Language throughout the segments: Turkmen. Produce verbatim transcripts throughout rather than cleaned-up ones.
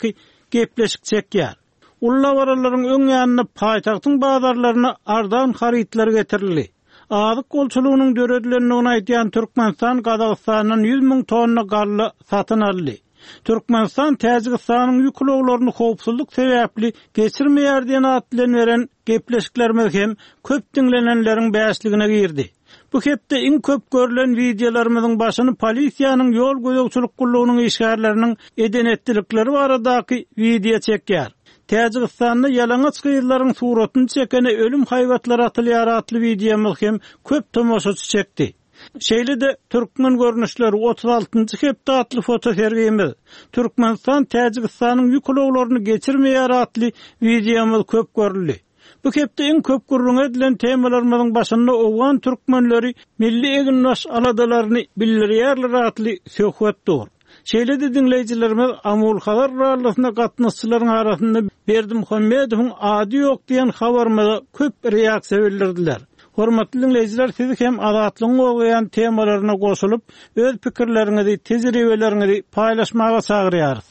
baradaky gepleşik çekýär. Uly dabaralaryň öň ýanynda paýtagtyň bazarlaryna arzan harytlar getirildi. Azyk bolçulygynyň döredilendigini aýdýan Türkmenistan Gazagystandan ýüz müň tonna galla satyn aldy. Türkmenistan Täjigistanyň ýük ulaglaryny howpsuzlyk sebäpli geçirmeýär diýen at bilen beren gepleşiklerimiz hem köp diňlenenleriň bäşligine girdi. Bu hepde iň köp görülen wideolarymyzyň başyny polisiýanyň ýol gözegçilik gullugynyň işgärleriniň eden etdilikleri baradaky wideo çekýär. Täjigistanda ýalaňaç gyzlaryň suratyny çekene ölüm haýbatlary atylýar atly wideomyz hem köp tomaşaçy çekdi. Şeýle-de Türkmen görnüşleri otuz altynjy hepde atly fotosergimiz, Türkmenistan Täjigistanyň ýük ulaglaryny geçirmeýär atly wideomyz köp görüldi. Bu hepde iň köp gürrüň edilen temalarymyzyň başynda owgan türkmenleri milli eginbaş aladalaryny bildirýärler atly söhbet dur. Şeýle-de diňleýjilerimiz Amul Hazar rallysyna gatnaşyjylaryň arasynda Berdimuhamedowyň ady ýok diýen habarymyza köp reaksiýa bildirdiler. Hormatly diňleýjiler, siz hem Azatlygyň gozgaýan temalaryna goşulyp, öz pikirleriňizi, tejribeleriňizi paýlaşmaga çagyrýarys.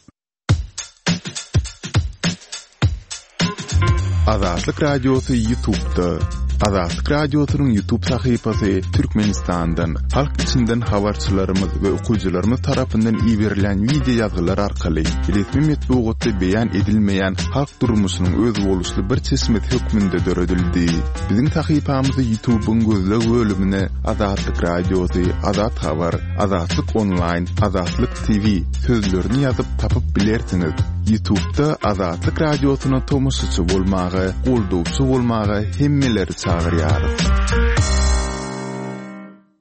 Azatlyk Radiosy YouTube'da. Azatlyk Radiosynyň YouTube sahypasy Türkmenistandan, halk içinden habarçylarymyz we okyjylarymyz tarapyndan iberilen wideo ýazgylar arkaly resmi metbugatda beýan edilmeýän halk durmuşynyň özboluşly bir çeşmesi hökmünde döredildi. Biziň sahypamyzy YouTube'yň gözleg bölümine Azatlyk Radiosy, Azat Habar, Azatlyk Online, Azatlyk T V sözlerini ýazyp tapyp bilersiňiz. YouTube'da Azatlyk Radiosyna tomaşaçy bolmaga, goldawçy bolmaga hemmeleri çagyrýarys.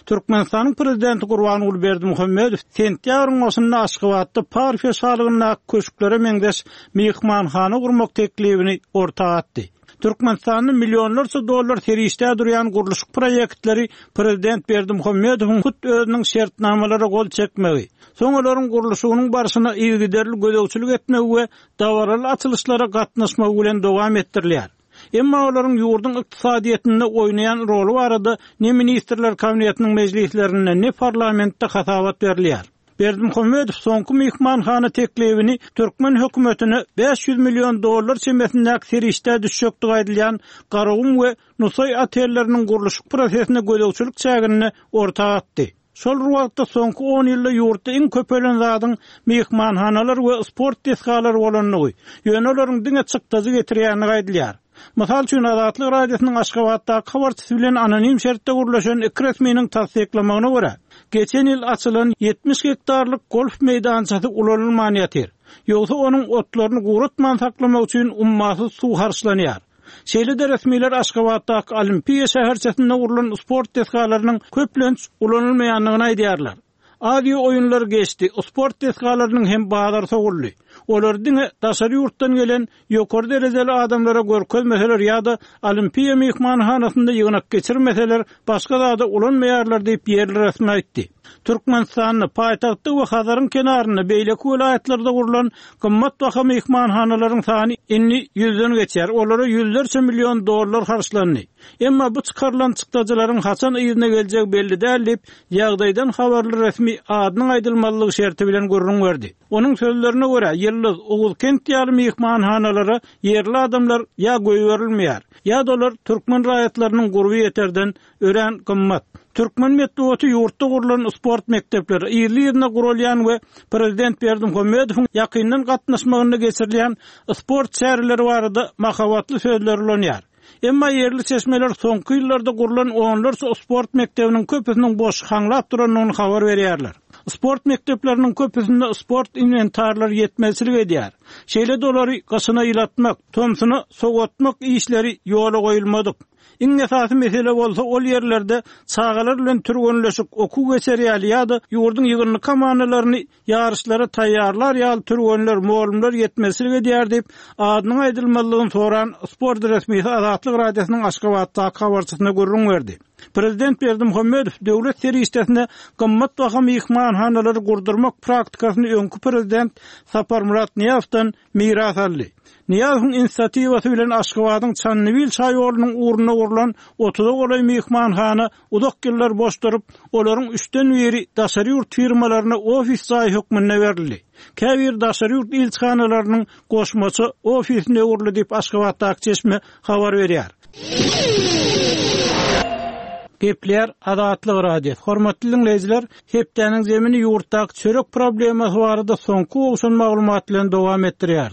Türkmenistanyň prezidenti Gurbanguly Berdimuhamedow sentýabryň başynda Aşgabatda Parfiýa şalygyndaky köşklere meňzeş myhmanhana gurmak teklibini orta atdy. Türkmenistanda milyonlarça dollar serişde durýan gurluşyk proýektleri prezident Berdimuhamedowyň hut özüniň şertnamalara gol çekmegi, soň olaryň gurluşygynyň barşyna yzygiderli gözegçilik etmegi we dabaraly açylyşlara gatnaşmagy bilen dowam etdirilýär. Emma olaryň ýurduň ykdysadyýetinde oýnaýan roly barada ne ministrler kabinetiniň mejlislerinde ne parlamentde hasabat berilýär. Berdimuhamedow soňky myhmanhana teklibini türkmen hökümetine bäş ýüz million dollar çemesindäki serişde düşjekdigi aýdylýan Garagum we Nusaý otelleriniň gurluşyk prosesine gözegçilik çäginde orta atdy. Şol bir wagtda soňky on ýylda ýurtda iň köpelen zadyň myhmanhanalar we sport desgalary bolandygy, ýöne olaryň diňe çykdajy getirýändigi aýdylýar. Mysal üçin Azatlyk Radiosynyň Aşgabatdaky habarçysy bilen anonim şertde gurlaşan iki resminiň tassyklamagyna görä, geçen ýyl açylan ýetmiş gektarlyk golf meýdançasy ulanylman ýatyr. Ýogsa onuň otlaryny guratman saklamak üçin ummasyz suw harçlanýar. Şeýle-de resmiler Aşgabatdaky Olimpiýa şäherçesinde gurlan sport desgalarynyň köplenç ulanylmaýandygyny aýdýarlar. Aziýa oýunlary geçdi, sport desgalarynyň hem bazar soguldy. Olar diňe daşary ýurtdan gelen ýokary derejeli adamlara görkezmeseler ýa-da Olimpiýa myhmanhanasynda ýygnak geçirmeseler, başga zada ulanmaýarlar diýip ýerli resmi aýtdy. Türkmenistanda paýtagtda we Hazaryň kenarynda beýleki welaýatlarda gurlan gymmat baha myhmanhanalaryň sany indi ýüzden geçýär. Olara ýüzlerçe million dollar harçlandy. Emma bu çykarylan çykdajylaryň haçan yzyna geljegi belli däl diýip, ýagdaýdan habarly resmi adynyň aýdylmalygy şerti bilen gürrüň berdi. Onuň sözlerine görä, Ýyldyz, Oguzkent ýaly myhmanhanalara ýerli adamlar ýa goýberilmeýär, ýa-da olar türkmen raýatlarynyň gurby ýeterden örän gymmat. Türkmen metbugaty ýurtda gurlan sport mekdepleri, ýerli-ýerine gurulýan we prezident Berdimuhamedowyň ýakyndan gatnaşmagynda geçirilýän sport çäreleri barada mahabatly sözler ulanýar. Emma ýerli çeşmeler soňky ýyllarda gurlan onlarça sport mekdebiniň köpüsiniň boş haňlap durandygyny habar berýärler. Sport mekdepleriniň köpüsinde sport inwentarlary ýetmezçilik edýär. Şeýle dolary gyşyna ýylatmak, tomsuna sowatmak işleri ýola goýulmadyk. Iň esasy mesele bolsa ol ýerlerde çagalar bilen türgenleşik, okuw geçer ýaly ýa-da ýurduň ýygyndy komandalaryny ýaryşlara taýýarlar ýaly türgenler, mugallymlar ýetmezçilik edýär diýip, adynyň aýdylmalygyny soran sport resmisi Azatlyk Radiosynyň Aşgabatdaky habarçysyna gürrüň berdi. Prezident Berdimuhamedow döwlet serişdesine gymmat baha myhmanhanalary gurdurmak praktikasyny öňki prezident Saparmyrat Nyýazowdan miras aldy. Nyýazowyň inisiatiwasy bilen Aşgabadyň Çandybil çaýolunyň ugrunda golaýlarynda gurlan otuza golaý myhmanhana uzak ýyllar boş durup, olaryň üçden biri daşary ýurt firmalaryna ofis jaýy hökmünde berildi. Käbir daşary ýurt ilçihanalarynyň goşmaça ofisine öwrüldi diýip Aşgabatdaky çeşme habar berýär. Gepler Azatlyk Radiosy. Hormatly dinleýjiler, hepdäniň zemini ýurtdaky çörek problemasy barada soňky gowşan maglumat bilen dowam etdirýär.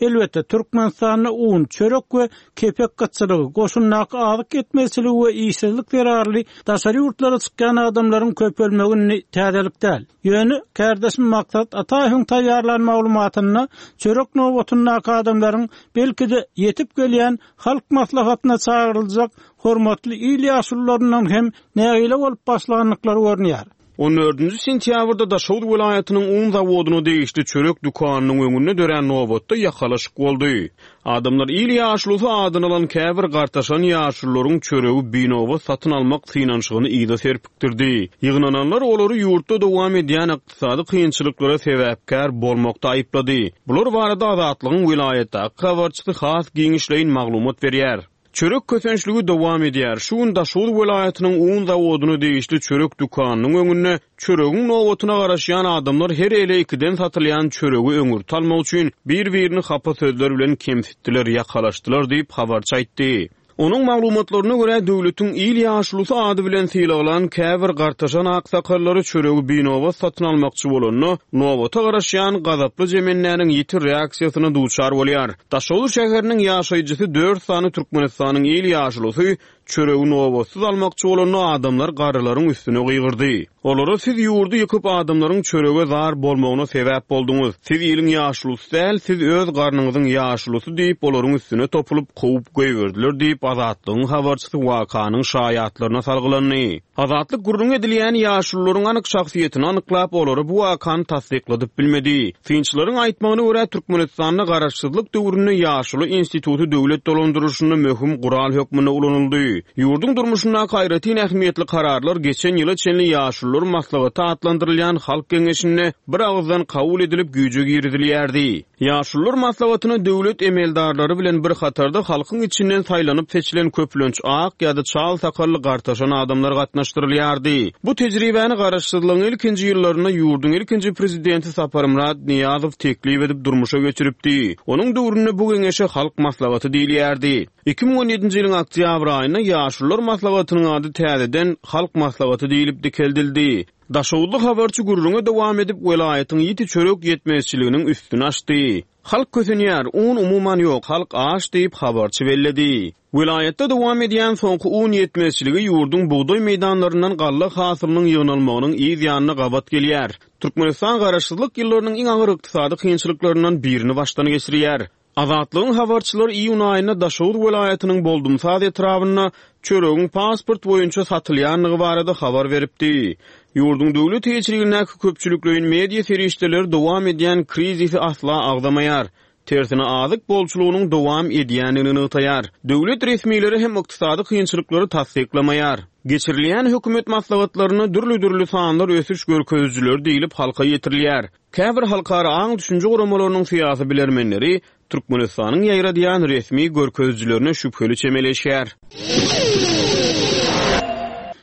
Elbetde, Türkmenistanda un, çörek we kepek gytçylygy, goşundaky azyk ýetmezçiligi we işsizlik zerarly daşary ýurtlara çykýan adamlaryň köpelmegini täzelik däl. Ýöne kardeşim Maksat Ataýewiň taýýarlan maglumatynda çörek nobatyndaky adamlaryň belki-de ýetip gelýän halk maslahatyna çagyryljak hormatly il ýaşulularyndan hem nägile bolup başlandyklary görünýär. On dördünji sentýabrda Daşoguz welaýatynyň un zawodyna degişli çörek dükanynyň öňünde dörän nobatda ýakalaşyk boldy. Adamlar il ýaşulusy adyny alan käbir gartaşan ýaşulularyň çöregi binobat satyn almak synanyşygyny yza serpikdirdi. Ýygnananlar olary ýurtda dowam edýän ykdysady kynçylyklara sebäpkär bolmakda aýyplady. Bular barada Azatlygyň welaýatdaky habarçysy has giňişleýin maglumat berýär. Çörek kösençligi dowam edýär. Şu gün Daşoguz welaýatynyň un zawodyna degişli çörek dükanynyň öňünde çöregiň nobatyna garaşýan adamlar her ele ikiden satylýan çöregi öňürti almak üçin bir-birini hapa sözler bilen kemsitdiler, ýakalaşdylar diýip habarçy aýtdy. Onuň maglumatlaryna görä döwletiň il ýaşulusy ady bilen sylaglan käbir gartaşan aksakallary çöregi binobat satyn almakçy bolanda, nobata garaşýan gazaply jemendäniň ýiti reaksiýasyna duçar bolýar. Daşoguz şäheriniň ýaşaýjysy dört sany Türkmenistanyň il ýaşulusy çöregi nobatsyz almakçy bolanda adamlar garrylaryň üstüne gygyrdy. Olara siz ýurdy ýykyp adamlaryň çörege zar bolmagyna sebäp bolduňyz. Siz iliň ýaşulusy däl, siz öz garnyňyzyň ýaşulusy diýip olaryň üstüne topulyp kowup goýberdiler diýip Azatlygyň habarçysy wakanyň şaýatlaryna salgylandy. Azatlyk gürrüň edilýän ýaşulularyň anyk şahsyýetini anyklap, olary bu wakany tassykladyp bilmedi. Synçylaryň aýtmagyna görä Türkmenistanda garaşsyzlyk döwründe ýaşuly instituty döwlet dolandyryşynda möhüm gural hökmünde ulanyldy. Ýurduň durmuşyndaky aýratyn ähmiýetli kararlar geçen ýyla çenli ýaşulular maslahaty atlandyrylýan halk geňeşinde bir agyzdan kabul edilip güýje girizilýärdi. Ýaşulular maslahatyna döwlet emeldarlary bilen bir hatarda halkyň içinden saýlanyp seçilen köplenç ak ýa-da çal sakally gartaşan adamlar gatnaşdyrylýardy. Bu tejribäni garaşsyzlygyň ilkinji ýyllarynda ýurduň ilkinji prezidenti Saparmyrat Nyýazow teklip edip durmuşa geçiripdi. Onuň döwründe bu geňeşe halk maslahaty diýilýärdi. Iki müň on ýedinji ýylyň oktýabr aýynda Ýaşulular maslahatynyň ady täzeden halk maslahaty diýilip dikeldildi. Daşoguzly habarçy gürrüňe dowam edip welaýatyň ýiti çörek ýetmezçiliginiň üstüni açdy. Halk kösenýär, un umuman ýok, halk aç diýip habarçy belledi. Welaýatda dowam edýän soňky un ýetmezçiligi ýurduň bugdaý meýdanlaryndan galla hasylynyň ýygnalmagynyň yz ýanyna gabat gelýär. Türkmenistan garaşsyzlyk ýyllarynyň iň agyr ykdysady kynçylyklaryndan birini başdan geçirýär. Azatlygyň habarçylary iýun aýynda Daşoguz welaýatynyň Boldumsaz etrabynda çöregiň pasport boýunça satylýandygy barada habar beripdi. Ýurduň döwlet eýeçiligindäki köpçülikleýin media serişdeleri dowam edýän krizisi asla agzamaýar. Tersine azyk bolçulygynyň dowam edýändigini nygtaýar. Döwlet resmileri hem ykdysady kynçylyklary tassyklamaýar. Geçirilýän hökümet maslahatlarynda dürli-dürli sanlar ösüş görkezijileri diýilip halka ýetirilýär. Käbir halkara aň düşünje guramalarynyň syýasy bilermenleri Türkmenistanyň ýaýradýan resmi görkezijilerine şübheli çemeleşýär.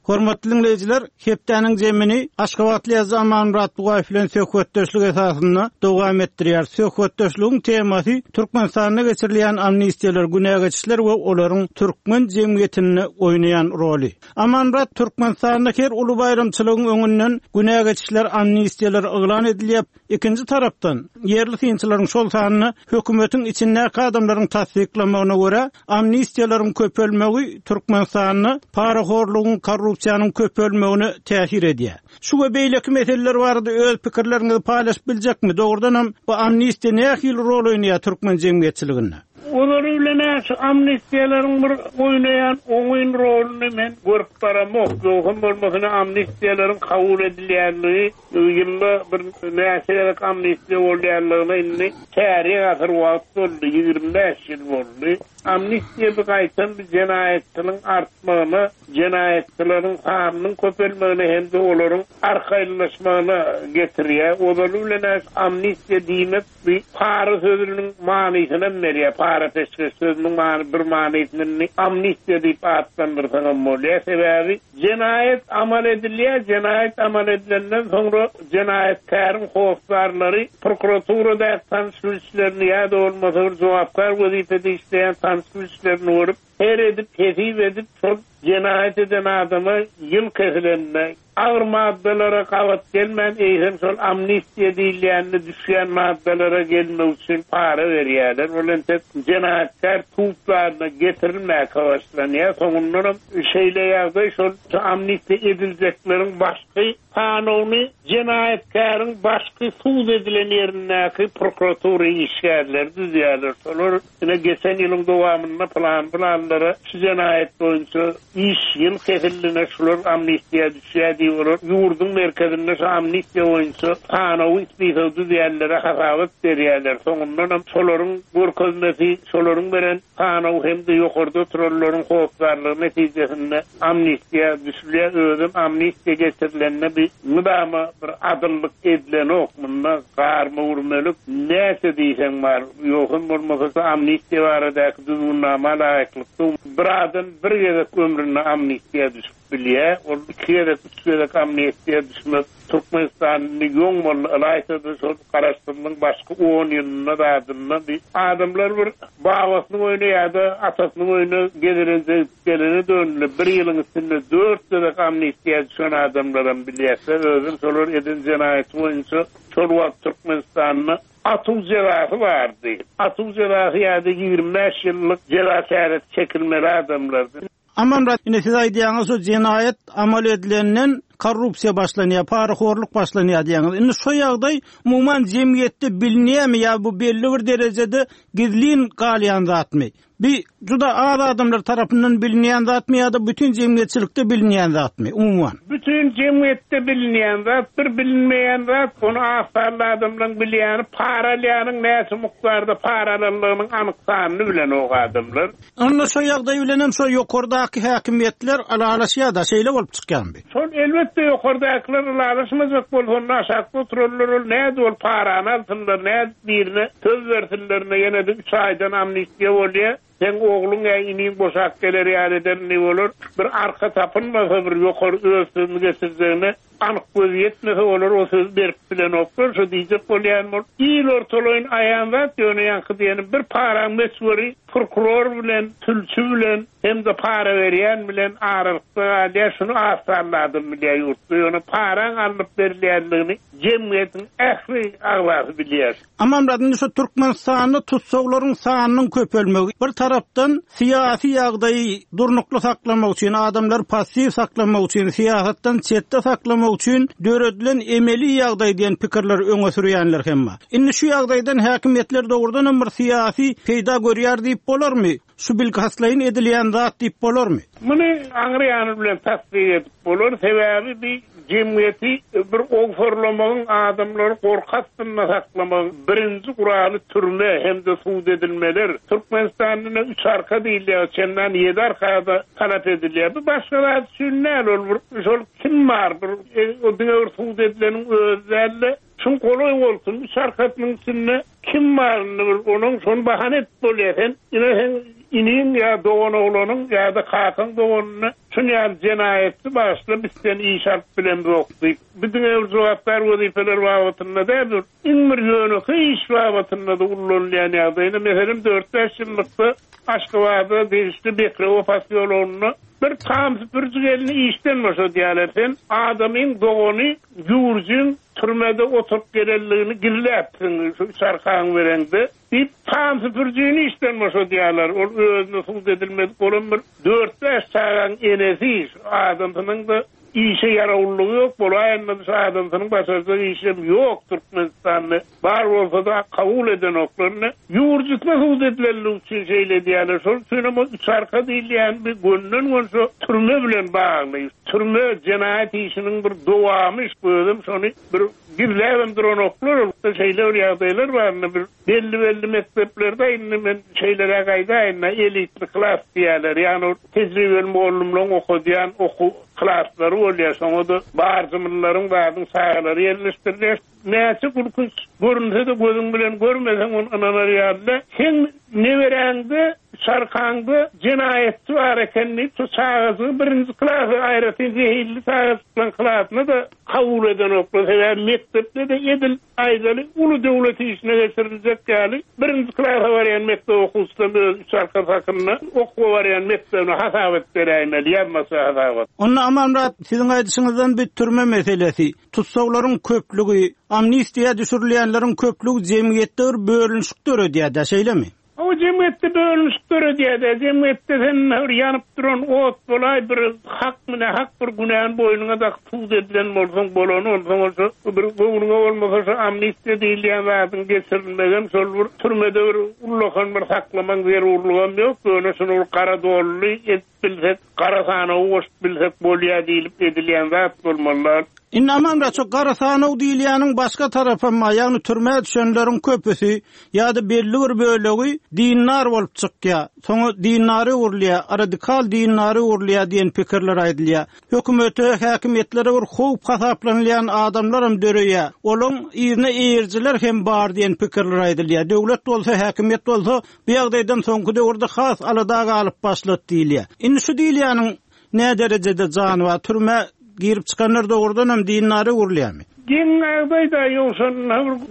Hormatly dinleýjiler, hepdäniň zemini Aşgabatly ýazyjy Amanmyrat Bugaýew bilen söhbetdeşlik esasynda dowam etdirýär. Söhbetdeşligiň temasy Türkmenistanda geçirilýän amnistiýalar, günä geçişler we olaryň türkmen jemgyýetinde oýnaýan roly. Amanmyrat, Türkmenistanda her uly baýramçylygyň öňünden günä geçişler, amnistiýalar yglan edilýär. Ikinji tarapdan ýerli synçylaryň şol sanyny hökümetiň içindäki adamlaryň tassyklamagyna görä amnistiýalaryň köpelmegi Türkmenistanda parahorlugyň, korrupsiýanyň köpelmegine täsir edýär. Şu we beýleki meseleler barada öz pikirleriňizi paýlaşyp biljekmi? Dogrudan hem bu amnistiýa nähili rol oýnaýar türkmen jemgyýetçiliginde? Olary bilen şu amnistiýalaryň bir oýnaýan oňyn roluny men görüp baramok. Ýogsam bolmasa amnistiýalaryň kabul edilýänligi ýylda bir näçe gezek amnistiýa bolýanlygyna indi çärýek asyr wagt boldy, ýigrimi bäş ýyl boldy. Amnistiýa bir gaýtan bir jenaýatçylygyň artmagyna, jenaýatçylaryň sanynyň köpelmegine hem-de olaryň arkaýynlaşmagyna getirýär. Ozaly bilen amnistiýa diýmek bir para sözüniň manysyny berýär. Para peşgeş sözüniň many bir manysyny amnistiýa diýip atlandyrsaňam bolýar. Sebäbi jenaýat amal edilýär, jenaýat amal edilenden soňra jenaýatkäriň hosdarlary prokuraturada tanyş bilişlerini ýa-da bolmasa bir jogapkar wezipede işleýän tanyş bilişlerini görüp, her edip, hesip edip, şol jenaýat eden adama ýyl kesilenine, agyr maddalara gabat gelmän, eýsem şol amnistiýa diýilýände düşýän maddalara gelmek üçin para berýärler. Ol entek jenaýatkär tutlaryna getirilmäge başlanýar. Soňundanam şeýle ýagdaý şol amnistiýa ediljekleriň başky kanuny jenaýatkäriň başky sud edilen ýerindäki prokuratura işgärleri düzýärler. Şolar ine geçen ýylyň dowamynda plan planlara şu jenaýat boýunça iş ýyl kesildiğine şular amnistiýa düşýär diýip ýurduň merkezinde şu amnistiýa boýunça sanawy ispisy düzýärlere hasabat berýärler. Soňundanam şolaryň görkezmesi, şolaryň beren sanawy hem-de ýokarda oturanlaryň hosdarlygy netijesinde amnistiýa düşülýär. Özüm amnistiýa getirilende bir mydama bir adyllyk edilenok. Munda garma urmalyk näçe diýseň bar. Ýokum bolmasa amnistiýa baradaky düzgünnama laýyklykda bir adam bir gezek ömründe amnistiýa düşüp bilýär. Ol iki gezek, üç gezek amnistiýa düşmek Türkmenistanyň ýoň boldy, ylaýta-da şol garaşsyzlygyň başky on ýylynda zadynda bir adamlar bir babasynyň öýüne ýa-da atasynyň öýüne gezelenje gelene döndüler. Bir ýylyň içinde dört gezek amnistiýa düşen adamlaram bilýärler. Özüm şolar eden jenaýaty boýunça şol wagt Türkmenistanda atuw jezasy bardy. Atuw jezasy ýa-da ýigrimi bäş ýyllyk jeza çäresi çekilmeli adamlardy. Aman ine siz aýdýaňyz şu jenaýat amal edilenden korrupsiýa başlanýar, parahorluk başlanýar diýýäňiz. Indi şu ýagdaý umuman jemgyýetde bilinýärmi ýa bu belli bir derejede gizlin galýan zatmy? Bir juda az adamlar tarapyndan bilinýän zatmy ýa-da bütün jemgyýetçilikde bilinýän zatmy umuman? Bütün jemgyýetde bilinýän zat, bir bilinmeýän zat, ony az sanly adamlaryň bilýäni, paralýanyň näçe mukdarda paralanlygynyň anyk sanyny bilen o adamlar. Onda şu ýagdaý bilen hem şu ýokardaky häkimiýetler alalaşýar da, şeýle bolup çykýarmy? Şol elbetde ýokardakylar alalaşmajak bolsa, onda aşakda oturanlar ol näde ol parany alsynlar, näde birine söz bersinler, ýene de üç aýdan amnistiýa bolýar. Sen oğlun ya iniň boşak geler ýa eder ne bolar? Bir arka tapynmasa bir ýokary öz sözüni geçirjegine anyk göz ýetmese olar o söz berip bilen oklar. Şu diýjek bolýan bol. Il ortalaýyn aýan zat ýöne ýaňky diýenim bir paraň meçweri prokuror bilen, sülçi bilen hem-de para berýän bilen aralykda galýar. Şunu az sanly adam bilýär ýurtda. Ýöne paraň alnyp berilýänligini jemgyýetiň ähli agzasy bilýär. Aman indi şu Türkmenistanda tutsaglaryň sanynyň köpelmegi bir tarapdan syýasy ýagdaýy durnukly saklamak üçin, adamlar passiw saklamak üçin, syýasatdan çetde saklamak üçin döredilen emeli ýagdaý diýen pikirler öňe sürýänler hem bar. Indi şu ýagdaýdan häkimiýetler dogrudan hem bir syýasy peýda görýär diýip bolarmy? Şu bilkastlaýyn edilýän zat diýip bolarmy? Muny aňry ýany bilen tasdik edip bolar. Sebäbi bir jemgyýeti bir ogurlamagyň, adamlary gorky astynda saklamagyň birinji guraly türme hem-de sud edilmeler. Türkmenistanda üç arka diýilýär, çendan ýedi arkada talap edilýär. Bu başga zat üçin näl ol bir şol kim bar bir, e, o diňe bir sud edileniň özi däl-de, şun golaý bolsun, üç arkasynyň içinde kim baryny bir onuň şonu bahana edip bolýar. Sen ine sen iniň ýa dogan oglanyň ýa-da kakaň doganyny şun ýaly jenaýatçy başla biz sen iş alyp bilemzok diýip. Bu diňe bir jogapkär wezipeler babatynda däl, bir iň bir ýönekeý iş babatynda da ullanylýan ýagdaýda, meselem, dört bäş ýyllykda Aşgabatda degişli Bekrewo posýologynda bir tam süpüriji gelini işden boşadýarlar. Sen adamyň dogany ýurjun türmede oturup gelenligini gizläpsiň şu üç arkaň bereňde diýip tam süpürijini işden boşadýarlar. Ol özüne sud edilmedik bolan bir dört bäş çagaň enesi adamsynyň da işe ýarawlygy ýok, bolaýanda şu adamsynyň başarjak işem ýok Türkmenistanda. Bar bolsa da kabul edenoklaryny ýurjutma sud edilenligi üçin şeýle edýärler. Şol üçin hem üç arka diýilýän bir gönden gön şu türme bilen bagly. Türme jenaýat işiniň bir dowamy, özüm şony bir gizläbem duranoklar, şeýle bir ýagdaýlar bar, bir belli-belli mekdeplerde indi men şeýlere gaýdaýyn, elitli klas diýerler. Ýagny tejribeli mugallymlaryň okadýan okuw klaslary bolýar. Şoňa da barjymlaryň zadyň çagalary ýerleşdirilýär. Näçe gülkünç görünse de gözüň bilen görmeseň ony ynanar ýaly. Sen neberäňde, çarkaňda jenaýatçy bar eken diýip, şu çagajygy birinji klasa aýratyn zehilli çagajyklaryň klasyna da kabul edenoklar. Sebäbi mekdepde de edil aýdaly uly döwlet işine geçiriljek ýaly birinji klasa barýan mekdep okuwçylaryň öz üç arka hakynda okuwa barýan mekdebine hasabat beräýmeli, ýazmasa hasabat. Onda Amanmyrat, siziň aýdyşyňyzdan bir türme meselesi, tutsaglaryň köplügi, amnistiýa düşürilýänleriň köplügi jemgyýetde bir bölünişik döredýär-de, şeýlemi? O jemgyýetde bölünişik döredýär-de, jemgyýetde sen bir ýanyp duran ot bolaý, bir hak mine hak bir günäni boýnuňa dakyp sud edilen bolsaň, bolany bolsaň, bolsa bir göwnüňe bolmasa şu amnistiýa diýilýän zadyň geçirilmegem şol bir türmede bir ullakan bir saklamak zerurlygam ýok. Ýöne şuny bir gara dolly edip bilsek, gara sanawy goşup bilsek bolýar diýilip edilýän zat bolmalylar. Indi Amanmyrat, şu gara sanaw diýilýäniň başga tarapam bar, ýagny türmä düşenleriň köpüsi ýa-da belli bir bölegi dindar bolup çykýar. Soňra dindary öwrülýär, radikal dindary öwrülýär diýen pikirler aýdylýar. Hökümete, häkimiýetlere bir howp hasaplanylýan adamlar hem döreýär. Olaryň ýerine eýerjiler hem bar diýen pikirler aýdylýar. Döwlet bolsa, häkimiýet bolsa bu ýagdaýdan soňky döwürde has alada galyp başlady diýilýär. Indi şu diýilýäniň ne derejede jany bar? Türmä girip çykanlar dogrudan hem dindary öwrülýärmi? Geň ýagdaýda ýogsa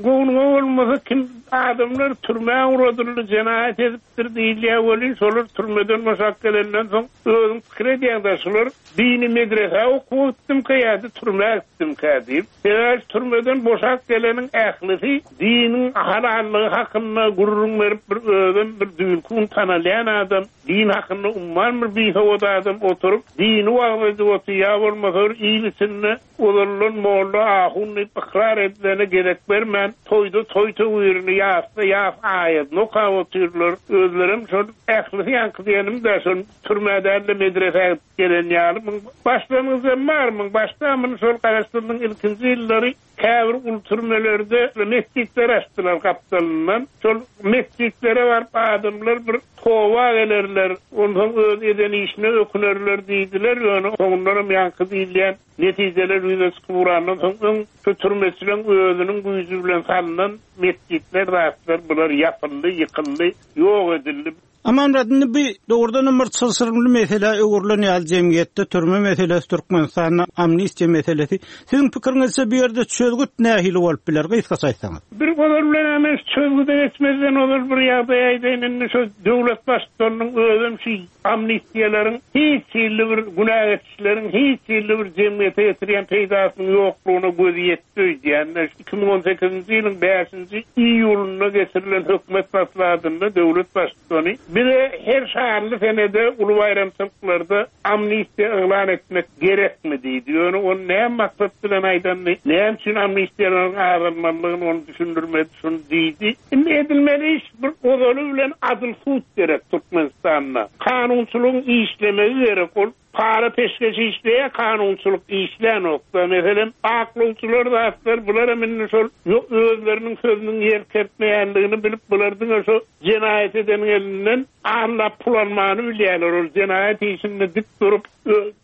göwnüňe bolmasa kim adamlar türmä uradyldy, jenaýat edipdir diýilýär welin, şolar türmeden boşap gelenden soň özüň pikir edýäň-de, şolar dini medresä okuwa gitdimkä ýa-da türmä gitdimkä diýip. Sebäbi türmeden boşap geleniň ählisi diniň halallygy hakynda gürrüň berip bir özüm bir düýnkün tanalýan adam, din hakynda umman bir bisowat adam oturyp dini wagyz edip otyr, ýa bolmasa bir il içinde ozaldan molla ahun diýip ykrar edilene gerek bermän toýda toý töwirini ýasda ýas aýadyny okap otyrlar. Özlerem şol ählisi ýaňky diýenim-de şol türmä däl-de medresä gidip gelen ýaly. Muň başlangyjam bar, muň başda muny şol Garaşsyzlygyň ilkinji ýyllary käbir ul türmelerde mesjitler açdylar gapdalyndan. Şol mesjitlere baryp adamlar bir toba gelerler, onsoň öz eden işine ökünerler diýdiler. Ýöne soňundanam ýaňky diýilýän netijeler ýüze çykyp urandan soň öň şu türmeçileň özüniň güýji bilen salynan mesjitler zatlar bular ýapyldy, ýykyldy, ýok edildi. Amanmyrat, indi bir dogrudan bir çylşyrymly mesele öwrülen ýaly jemgyýetde türme meselesi, Türkmenistanda amnistiýa meselesi. Siziň pikiriňizçe bu ýerde çözgüt nähili bolup biler? Gysgaça aýtsaňyz. Bir ozal bilen hemen çözgüde geçmezden ozal bir ýagdaý aýdaýyn, indi şu döwlet baştutanynyň özem şu amnistiýalaryň hiç hili bir günä geçişleriň hiç hili bir jemgyýete getirýän peýdasynyň ýoklugyna gözi ýetdi öýdýän. Iki müň on sekizinji ýylyň bäşinji iýulynda geçirilen hökümet maslahatynda döwlet baştutany bize her şanly senede uly baýramçylyklarda amnistiýa yglan etmek gerekmi diýdi. Ýöne ony näme maksat bilen aýdandy, näme üçin amnistiýalaryň azalmalydygyny ony düşündirmedi, şuny diýdi. Indi edilmeli iş bir ozaly bilen adyl sud gerek Türkmenistanda. Kanunçylygyň işlemegi gerek. Ol para peşgeş işleýär, kanunçylyk işlän okda. Meselem, aklawçylar zatlar bular hem indi şol özleriniň sözüniň ýer kertmeýänligini bilip, bular diňe şo jenaýat edeniň elinden allap pul almany bilýärler. Ol jenaýat işinde dik durup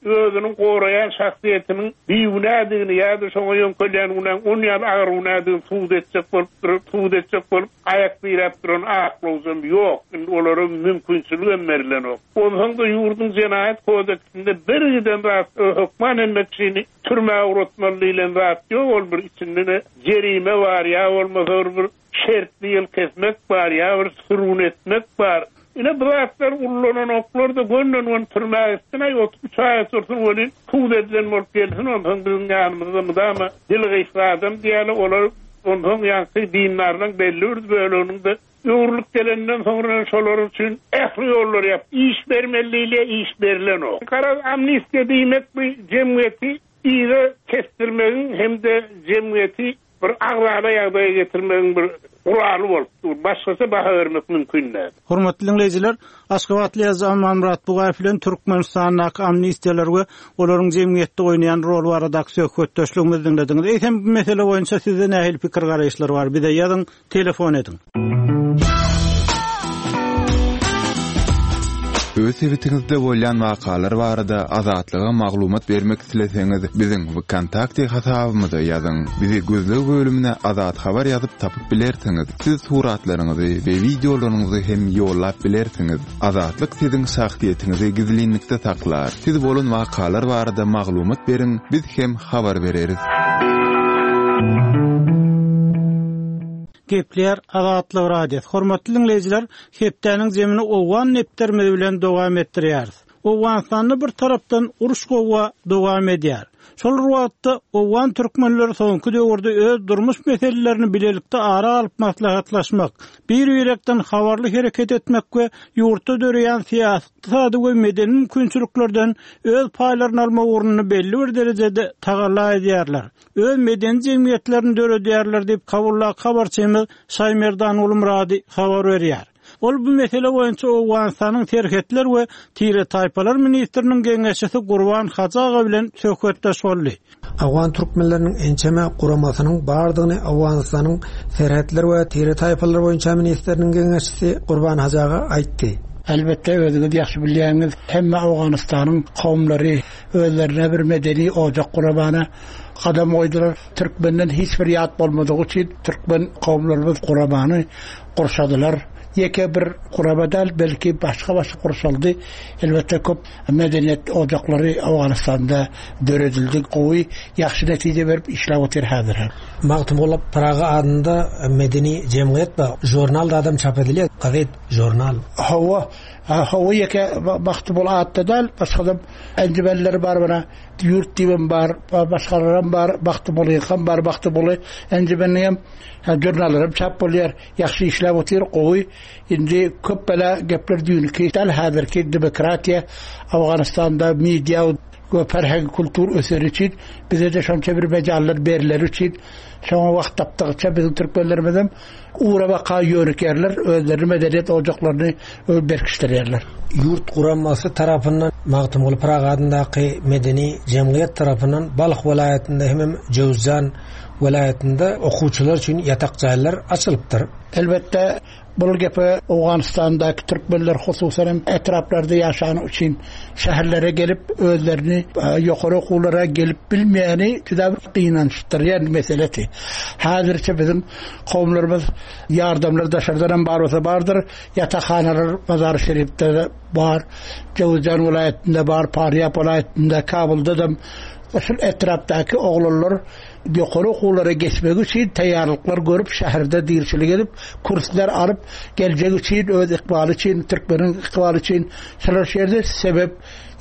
özüniň goraýan şahsyýetiniň bigünädigini ýa-da şoňa ýöňkelýän günäň on ýaly agyr günädigini subut etjek bolup durup, subut etjek bolup aýak diräp duran aklawjam ýok. Indi olara mümkinçilik hem berilenok. Onsoň da ýurduň jenaýat kodeksinde bir giden zat hökman emmek kişini türmä ugratmaly diýlen zat ýok. Ol bir içinde de jerime bar ýa bolmasa bir şertli ýyl kesmek bar ýa bir sürgün etmek bar. Ine bu zatlar ullanan oklar da gönden gön türmä gitsin, aý otuz üç aý otursun welin sud edilen bolup gelsin, onsoň biziň ýanymyzda mydama dil gysga adam diýeli, olar onsoň ýaňky dindarlaryň belli bir böleginiň de öwrülip gelenden soňra şolar üçin ähli ýollar ýap, iş bermeli diýilýär, iş berilen ok. Garaz amnistiýa diýmek bu jemgyýeti yza kesdirmegiň hem-de jemgyýeti bir agzala ýagdaýa getirmegiň bir guraly bolup dur. Başgaça baha bermek mümkin däl. Hormatly diňleýjiler, Aşgabatly ýazyjy Amanmyrat Bugaýew bilen Türkmenistandaky amnistiýalar we olaryň jemgyýetde oýnaýan rol baradaky söhbetdeşligimizi diňlediňiz. Eýsem bu mesele boýunça sizde nähili pikir garaýyşlar bar? Bize ýazyň, telefon ediň. Öz sebitiňizde bolýan wakalar barada Azatlyga maglumat bermek isleseňiz, biziň VKontakte hasabymyza ýazyň. Bizi gözleg bölümine Azat Habar ýazyp tapyp bilersiňiz. Siz suratlaryňyzy we wideolaryňyzy hem ýollap bilersiňiz. Azatlyk siziň şahsyýetiňizi gizlinlikde saklar. Siz bolan wakalar barada maglumat beriň, biz hem habar bereris. Gepler Azatlyk Radiosy. Hormatly diňleýjiler, hepdäniň zemini Owgan nepterimiz bilen dowam etdirýäris. Owganystanda bir tarapdan uruş gowga dowam edýär. Şol wagtda Owgan türkmenleri soňky döwürde öz durmuş meselelerini bilelikde ara alyp maslahatlaşmak, bir-birekden habarly hereket etmek we ýurtda döreýän syýasy, ykdysady we medeni mümkinçiliklerden öz paýlaryny almak ugrunda belli bir derejede tagalla edýärler. Öz medeni jemgyýetlerini döredýärler diýip Kabuldaky habarçymyz Şaýmerdan Ulumrady habar berýär. Ol bu mesele boýunça Owganystanyň Serhetler we Tire Taýpalar ministriniň geňeşçisi Gurban Hajy aga bilen söhbetdeş boldy. Owgan türkmenleriniň ençeme guramasynyň bardygyny Owganystanyň Serhetler we Tire Taýpalar boýunça ministriniň geňeşçisi Gurban Hajy aga aýtdy. Elbetde özüňiz ýagşy bilýäňiz, hemme Owganystanyň kowumlary özlerine bir medeni ocak guramana gadam goýdular. Türkmenden hiç bir ýat bolmadygy üçin türkmen kowumlarymyz guramany gurşadylar. Ýeke bir gurama däl, belki başga-başga gurşaldy. Elbetde köp medeniýet ocaklary Owganystanda döredildi. Gowy, ýagşy netije berip işläp otyr häzir. Magtymguly Pyragy adynda medeni jemgyýet bar. Jurnal da adam çap edilýär, gazet, jurnal. Hawa, hawa ýeke Magtymguly atda däl, başga da enjimenleri bar bana. Ýurt diýen bar, başgalaram bar, Magtymguly hem bar, Magtymguly enjimenini hem jurnallarym çap bolýar. Ýagşy işläp otyr, gowy. Indi köp bela gepler düýnki däl, häzirki demokratiýa Owganystanda media we ferheng kultur öseri üçin bize de şonça bir mejallar beriler üçin şoňa wagt tapdygyça biziň türkmenlerimizem ugra baka ýörükerler, özlerini medeniýet ojaklaryny berkişdirýärler. Ýurt guramasy tarapyndan Magtymguly Pyragy adyndaky medeni jemgyýet tarapyndan Balh welaýatynda hem Jöwzjan welaýatynda okuwçylar üçin ýatak jaýlar açylypdyr. Elbetde bu gepe Owganystandaky türkmenler hususan hem etraplarda ýaşan üçin şäherlere gelip özlerini ýokary okuwlara gelip bilmeýäni juda bir gynançdyrýan meselesi. Häzirçe biziň kowumlarymyz ýardamlar daşardan hem bar bolsa bardyr. Ýatakhanalar Mazar Şerifde bar, Jöwzjan welaýatynda bar, Parýap welaýatynda, Kabulda da şul etrapdaky oglanlar ýokary okuwlara geçmek üçin taýýarlyklar görüp şäherde dirçilik edip kurslar alyp geljek üçin öz ykbaly üçin türkmeniň ykbaly üçin şular şeýle sebep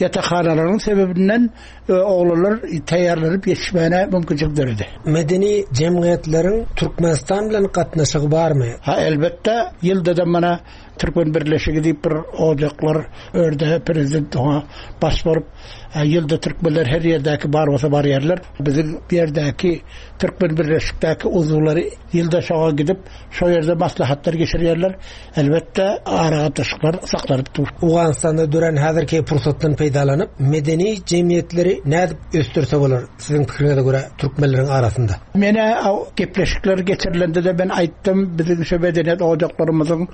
ýatakhanalaryň sebebinden oglanlar taýýarlanyp ýetişmäne mümkinçilik döredi. Medeni jemgyýetleriň Türkmenistan bilen gatnaşygy barmy? Ha elbetde ýylda da mana Türkmen Birleşigi diýip bir ojaklar örde prezident oňa baş bolup ýylda türkmenler her ýerdäki bar bolsa barýarlar. Biziň bu ýerdäki Türkmen Birleşikdäki uzulary ýylda şoňa gidip şo ýerde maslahatlar geçirýärler. Elbetde aragatnaşyklar saklanyp dur. Owganystanda dören häzirki pursatdan peýdalanyp medeni jemgyýetleri nädip ösdürse bolar siziň pikiriňize görä türkmenleriň arasynda? Mene gepleşikler geçirilende de ben aýtdym, biziň şu medeniýet ojaklarymyzyň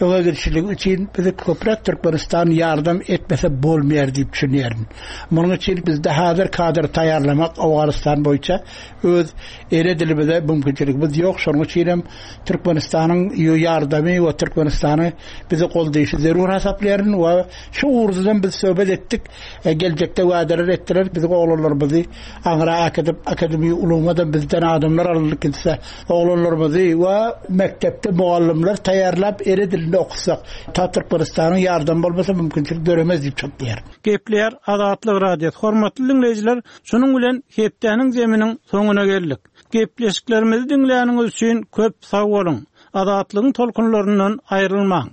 öňe gidişligi üçin bizi köpräk Türkmenistan ýardam etmese bolmaýar diýip düşünýärin. Munuň üçin bizde häzir kadr taýýarlamak Owganystan boýunça öz ene dilimize mümkinçiligimiz ýok. Şonuň üçin hem Türkmenistanyň ýardamy we Türkmenistany bizi goldaýşy zerur hasaplaýaryn we şu ugurdan biz söhbet etdik. E, geljekde wadalar etdiler. Biziň oglanlarymyzy aňra äkidip akademiýa ulumadan bizden adamlar alnyp gitse, oglanlarymyzy we mekdepde mugallymlar taýýarlap ene dilinde okutsak, ta Türkmenistanyň ýardamy bolmasa mümkinçilik döremez diýip çatlaýar. Gepler Azatlyk Radiosy. Hormatly diňleýjiler, şunuň bilen hepdäniň zeminiň soňuna geldik. Gepleşiklerimizi diňläniňiz üçin köp sag boluň. Azatlygyň tolkunlaryndan aýrylmaň.